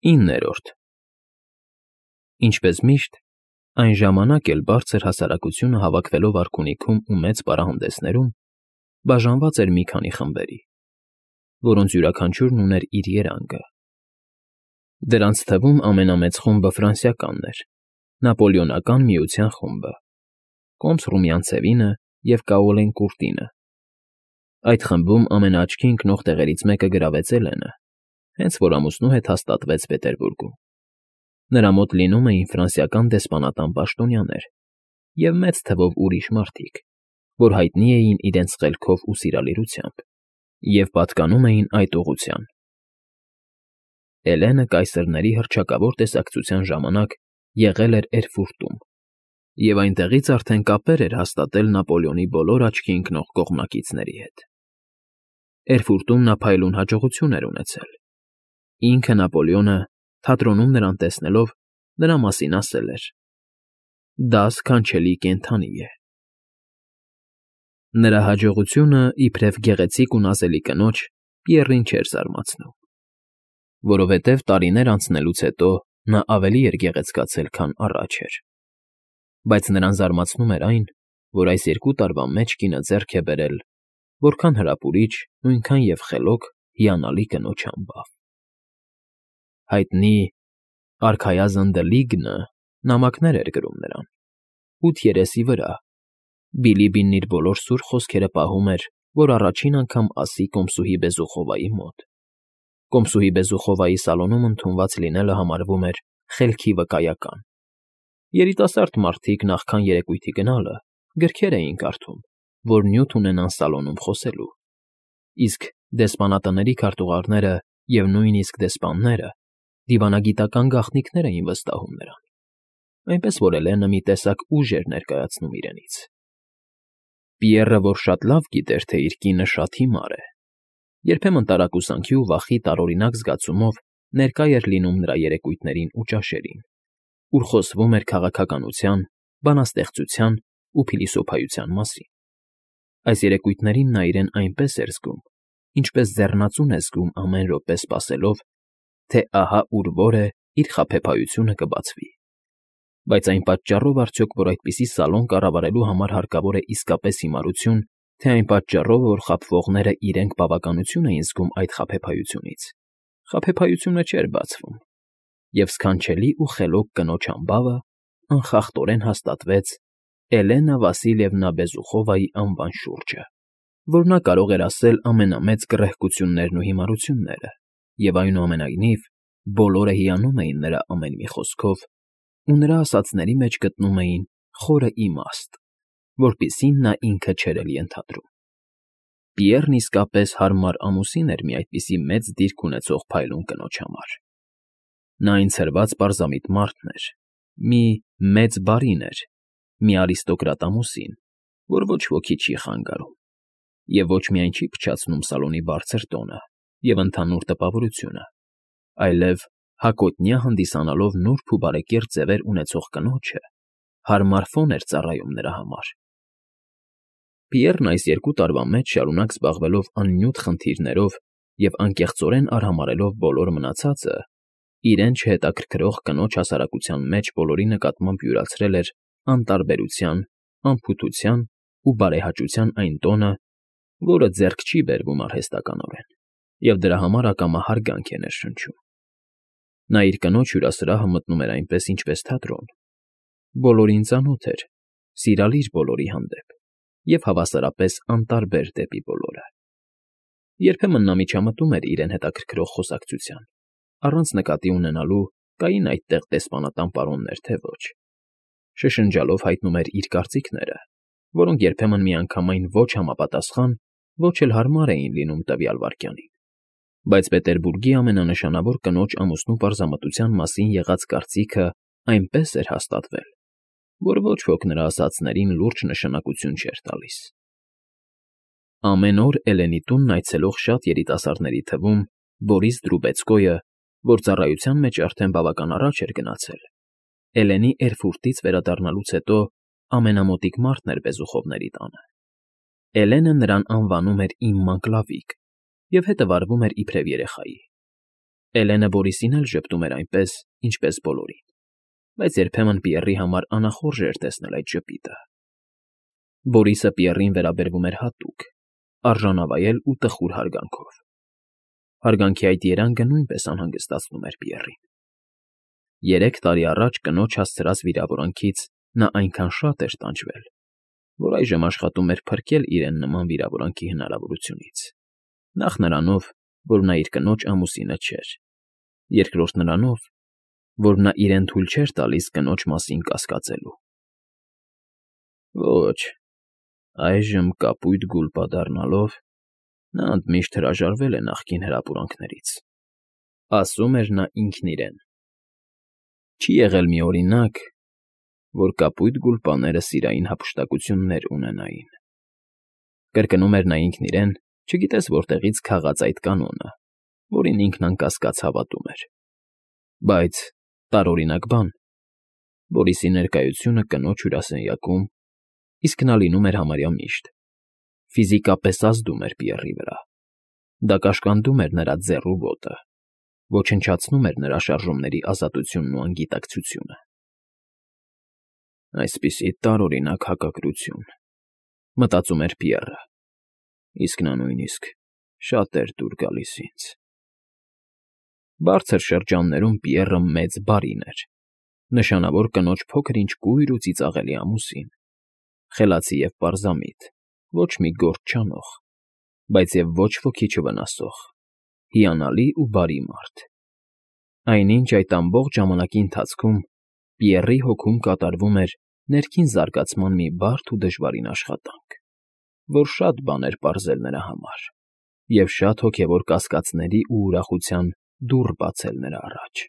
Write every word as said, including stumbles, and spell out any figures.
Իններորդ Ինչպես միշտ, այն ժամանակ էլ բարձր հասարակությունը հավաքվելով արքունիքում ու մեծ պարահանդեսներում բաժանված էր մի քանի խմբերի, որոնց յուրաքանչյուրն ուներ իր երանգը. դրանց թվում ամենամեծ խումբը ֆրանսիականն էր, Նապոլեոնական Միության խումբը, Կոմս֊Ռումյանցևինը և Կաոլեն֊Կուրտինը. այդ խմբում ամենաաչքի ընկնող տեղերից մեկը գրավեց Էլենը, հենց որ ամուսնու հետ հաստատվեց Պետերբուրգում. նրա մոտ լինում էին ֆրանսիական դեսպանատան պաշտոնյաներ և մեծ թվով ուրիշ մարդիկ, որ հայտնի էին իրենց խելքով ու սիրալիրությամբ և պատկանում էին այդ ուղղության. Էլենը կայսրների հռչակավոր տեսակցության ժամանակ եղել էր Էրֆուրտում և այնտեղից արդեն կապեր էր հաստատել Նապոլեոնի բոլոր աչքի ընկնող կողմնակիցների հետ. Էրֆուրտում նա փայլուն հաջողություն էր ունեցել. ինքը Նապոլեոնը, թատրոնում նրան տեսնելով, նրա մասին ասել էր. «Դա սքանչելի կենդանի է»։ Նրա հաջողությունը, իբրև գեղեցիկ ու նազելի կնոջ, Պիեռին չէր զարմացնում, որովհետև տարիներ անցնելուց հետո նա ավելի էր գեղեցկացել, քան առաջ էր, բայց նրան զարմացնում էր այն, որ այս երկու տարվա մեջ կինը ձեռք է բերել որքան հրապուրիչ, նույնքան և խելոք, հիանալի կնոջ համբավ։ Հայտնի արքայազն Դլիգը նամակներ էր գրում նրան, ութ երեսի վրա, Բիլիբին իր բոլոր սուր խոսքերը պահում էր, որ առաջին անգամ ասի կոմսուհի Բեզուխովայի մոտ. Կոմսուհի Բեզուխովայի սալոնում ընդունված լինելը համարվում էր խելքի վկայական. երիտասարդ մարդիկ նախքան երեկույթի գնալը գրքեր էին կարդում, որ նյութ ունենան սալոնում խոսելու, իսկ դեսպանատների քարտուղարները և նույնիսկ դեսպանները դիվանագիտական գաղտնիքներ էին վստահում նրան, այնպես որ Էլենը մի տեսակ ուժ էր ներկայացնում իրենից։ Պիեռը, որ շատ լավ գիտեր, թե իր կինը շատ հիմար է, երբեմն տարակուսանքի ու վախի տարօրինակ զգացումով ներկա էր լինում նրա երեկույթներին ու ճաշերին, ուր խոսվում էր քաղաքականության, բանաստեղծության ու փիլիսոփայության մասին։ Այս երեկույթներին նա իրեն այնպես էր զգում, ինչպես ձեռնածուն է զգում ամեն րոպե սպասելով, թե ահա ուր որ է իր խաբեբայությունը կբացվի, բայց այն պատճառով արդյոք, որ այդպիսի սալոն կառավարելու համար հարկավոր է իսկապես հիմարություն, թե այն պատճառով, որ խաբվողներն իրենք բավականություն էին զգում այդ խաբեբայությունից, խաբեբայությունը չէր բացվում, և սքանչելի ու խելոք կնոջ համբավը անխախտորեն հաստատվեց Էլենա Վասիլիևնա Բեզուխովայի անվան շուրջը, որ նա կարող էր ասել ամենամեծ գռեհկություններն ու հիմարությունները, և այնուամենայնիվ բոլորը հիանում էին նրա ամեն մի խոսքով ու նրա ասածների մեջ գտնում էին խորը իմաստ, որպիսին նա ինքը չէր էլ ենթադրում։ Պիեռն իսկապես հարմար ամուսին էր մի այդպիսի մեծ դիրք ունեցող փայլուն կնոջ համար։ Նա այն ցրված պարզամիտ մարդն էր, մի մեծ բարին էր, մի արիստոկրատ ամուսին, որ ոչ ոքի չի խանգարում և ոչ միայն չի փչացնում սալոնի բարձր տոնը և ընդհանուր տպավորությունը, այլև հակոտնյա հանդիսանալով նուրբ ու բարեկիրթ ձևեր ունեցող կնոջը հարմար ֆոն էր ծառայում նրա համար։ Պիեռն այս երկու տարվա մեջ շարունակ զբաղվելով աննյութ խնդիրներով և անկեղծորեն արհամարհելով բոլոր մնացածը, իրեն չհետաքրքրող կնոջ հասարակության մեջ բոլորի նկատմամբ յուրացրել էր անտարբերության, անփութության ու բարեհաճության այն տոնը, որը ձեռք չի բերվում արհեստականորեն, և դրա համար ակամա հարգանք է ներշնչում։ Նա իր կնոջ հյուրասրահը մտնում էր այնպես, ինչպես թատրոն, բոլորին ծանոթ էր, սիրալիր բոլորի հանդեպ և հավասարապես անտարբեր դեպի բոլորը։ Երբեմն նա միջամտում էր իրեն հետաքրքրող խոսակցության, առանց նկատի ունենալու կային այդտեղ դեսպանատան պարոններ, թե ոչ, շշնջալով հայտնում էր իր կարծիքները, որոնք երբեմն միանգամայն ոչ համապատասխան, ոչ էլ հարմար էին լինում տվյալ վայրկյանին, բայց Պետերբուրգի ամենանշանավոր կնոջ ամուսնու պարզամտության մասին եղած կարծիքը այնպես էր հաստատվել, որ ոչ ոք նրա ասածներին լուրջ նշանակություն չէր տալիս։ Ամեն օր Էլենի տունն այցելող շատ երիտասարդների թվում Բորիս Դրուբեցկոյը, որ ծառայության մեջ արդեն բավական առաջ էր գնացել, Էլենի Էրֆուրտից վերադառնալուց հետո ամենամոտիկ մարդն էր Բեզուխովների տանը։ Էլենը նրան անվանում էր «իմ մանկլավիկ» և հետը վարվում էր իբրև երեխայի։ Էլենը Բորիսին էլ ժպտում էր այնպես, ինչպես բոլորին, բայց երբեմն Պիեռի համար անախորժ էր տեսնել այդ ժպիտը։ Բորիսը Պիեռին վերաբերվում էր հատուկ, արժանավայել ու տխուր հարգանքով։ Հարգանքի այդ երանգը նույնպես անհանգստացնում էր Պիեռին։ Երեք տարի առաջ կնոջ հասցրած վիրավորանքից նա այնքան շատ էր տանջվել, որ այժմ աշխատում էր փրկել իրեն նման վիրավորանքի հնարավորությունից։ Նախ նրանով, որ նա իր կնոջ ամուսինը չէր, երկրորդ նրանով, որ նա իրեն թույլ չէր տալիս կնոջ մասին կասկածելու։ Ոչ, այժմ կապույտ գուլպա դառնալով, նա ընդմիշտ հրաժարվել է նախկին հրապուրանքներից, ասում էր նա ինքն իրեն։ Չի եղել մի օրինակ, որ կապույտ գուլպաները սիրային հափշտակություններ ունենային։ Կրկնում էր նա ինքն իրեն, չգիտես որտեղից քաղած այդ կանոնը, որին ինքն անկասկած հավատում էր։ Բայց տարօրինակ բան, Բորիսի ներկայությունը կնոջ հյուրասենյակում, իսկ նա լինում էր համարյա միշտ, ֆիզիկապես ազդում էր Պիեռի վրա։ Դա կաշկանդում էր նրա ձեռ ու ոտը, ոչնչացնում էր նրա շարժումների ազատությունն ու անգիտակցությունը։ Այսպիսի տարօրինակ հակակրություն, մտածում էր Պիեռը, իսկ նա նույնիսկ շատ էր դուր գալիս ինձ։ Բարձր շրջաններում Պիեռը մեծ բարին էր, նշանավոր կնոջ փոքր-ինչ կույր ու ծիծաղելի ամուսին, խելացի և պարզամիտ, ոչ մի գործ չանող, բայց և ոչ ոքի չվնասող, հիանալի ու բարի մարդ։ Այնինչ այդ ամբողջ ժամանակի ընթացքում Պիեռի հոգում կատարվում էր ներքին զարգացման մի բարդ ու դժվարին աշխատանք, որ շատ բան էր պարզել նրա համար և շատ հոգևոր կասկածների ու ուրախության դուռ բացել նրա առաջ։